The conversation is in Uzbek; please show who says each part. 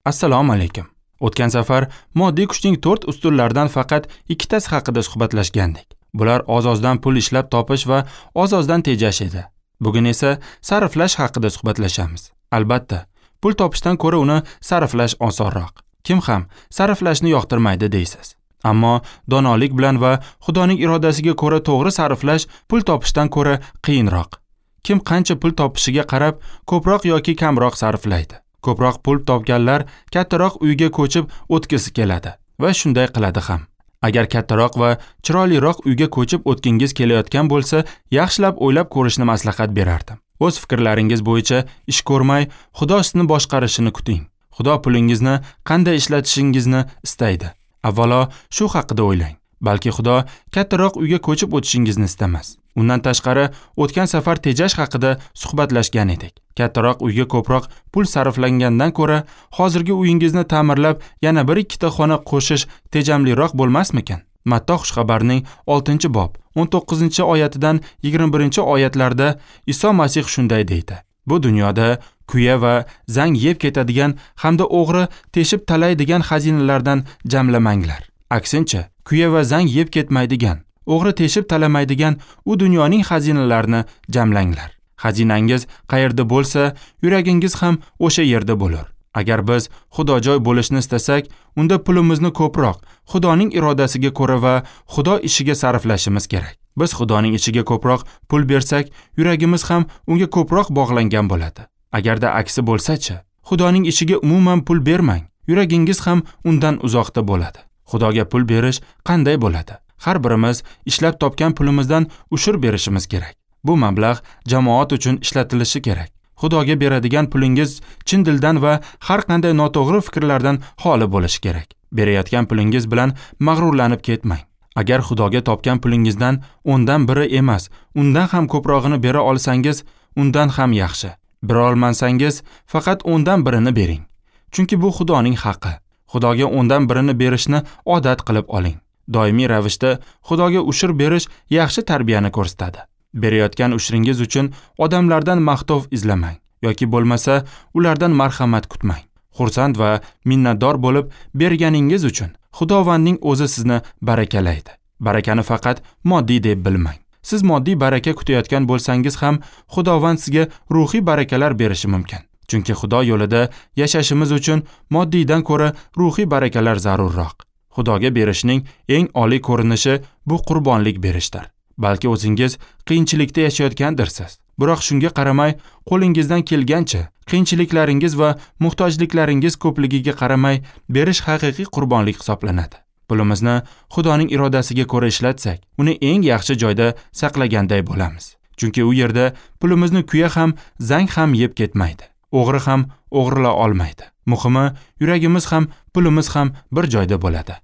Speaker 1: Assalomu alaykum. O'tgan safar moddiy kuchning 4 ustunlaridan faqat ikkitasi haqida suhbatlashgandik. Bular oz-ozdan pul ishlab topish va oz-ozdan tejash edi. Bugun esa sarflash haqida suhbatlashamiz. Albatta, pul topishdan ko'ra uni sarflash osonroq. Kim ham sarflashni yoqtirmaydi deysiz. Ammo donolik bilan va Xudoning irodasiga ko'ra to'g'ri sarflash pul topishdan ko'ra qiyinroq. Kim qancha pul topishiga qarab ko'proq yoki kamroq sarflaydi. Ko'proq pul topganlar kattaroq uyga ko'chib o'tgisi keladi va shunday qiladi ham. Agar kattaroq va chiroyliroq uyga ko'chib o'tgingiz kelayotgan bo'lsa, yaxshilab o'ylab ko'rishni maslahat berardim. O'z fikrlaringiz bo'yicha ish ko'rmay, Xudo sizni boshqarishini kuting. Xudo pulingizni qanday ishlatishingizni istaydi. Avvalo shu haqida o'ylang. Balki Xudo kattaroq uyga ko'chib o'tishingizni istamas. Undan tashqari, o'tgan safar tejash haqida suhbatlashgan edik. Kattaroq uyga ko'proq pul sarflangandan ko'ra, hozirgi uyingizni ta'mirlab, yana 1-2 ta xona qo'shish tejamliroq bo'lmasmikan? Matto xushxabarning 6-bob 19-oyatidan 21-oyatlarda Iso Masih shunday deydi: Bu dunyoda kuya va zang yeb ketadigan hamda o'g'ri teshib talaydigan xazinalardan jamlamanglar. Aksincha, kuya va zang yeb ketmaydigan, o'g'ri teshib talamaydigan u dunyoning xazinalarini jamlanglar. Xazinangiz qayerda bo'lsa, yuragingiz ham o'sha yerda bo'lur. Agar biz xudojoy bo'lishni istasak, unda pulimizni ko'proq Xudoning irodasiga ko'ra va Xudo ishiga sarflashimiz kerak. Biz Xudoning ishiga ko'proq pul bersak, yuragimiz ham unga ko'proq bog'langan bo'ladi. Agarda aksi bo'lsa-chi, Xudoning ishiga umuman pul bermang, yuragingiz ham undan uzoqda bo'ladi. Xudoga pul berish qanday bo'ladi? Har birimiz ishlab topgan pulimizdan ushur berishimiz kerak. Bu mablag' jamoat uchun ishlatilishi kerak. Xudoga beradigan pulingiz chin dildan va har qanday noto'g'ri fikrlardan xoli bo'lishi kerak. Berayotgan pulingiz bilan mag'rurlanib ketmang. Agar Xudoga topgan pulingizdan 10dan biri emas, undan ham ko'prog'ini bera olsangiz, undan ham yaxshi. Bera olmasangiz, faqat 10dan birini bering. Chunki bu Xudoning haqqi. Xudoga 10dan birini berishni odat qilib oling. Doimiy ravishda Xudoga ushur berish yaxshi tarbiyani ko'rsatadi. Berayotgan ushringiz uchun odamlardan maqtov izlamang yoki bo'lmasa ulardan marhamat kutmang. Xursand va minnatdor bo'lib berganingiz uchun Xudovandning o'zi sizni barakalaydi. Barakani faqat moddiy deb bilmang. Siz moddiy baraka kutayotgan bo'lsangiz ham Xudovand sizga ruhiy barakalar berishi mumkin. Chunki Xudo yo'lida yashashimiz uchun moddiydan ko'ra ruhiy barakalar zarurroq. Xudoga berishning eng oliy ko'rinishi bu qurbonlik berishdir. Balki o'zingiz qiyinchilikda yashayotgandirsiz. Biroq shunga qaramay, qo'lingizdan kelgancha qiyinchiliklaringiz va muhtojliklaringiz ko'pligiga qaramay berish haqiqiy qurbonlik hisoblanadi. Pulimizni Xudoning irodasiga ko'ra ishlatsak, uni eng yaxshi joyda saqlaganday bo'lamiz. Chunki u yerda pulimizni kuya ham, zang ham yeb ketmaydi. O'g'ri ham o'g'irla olmaydi. Muhimi, yuragimiz ham, pulimiz ham bir joyda bo'ladi.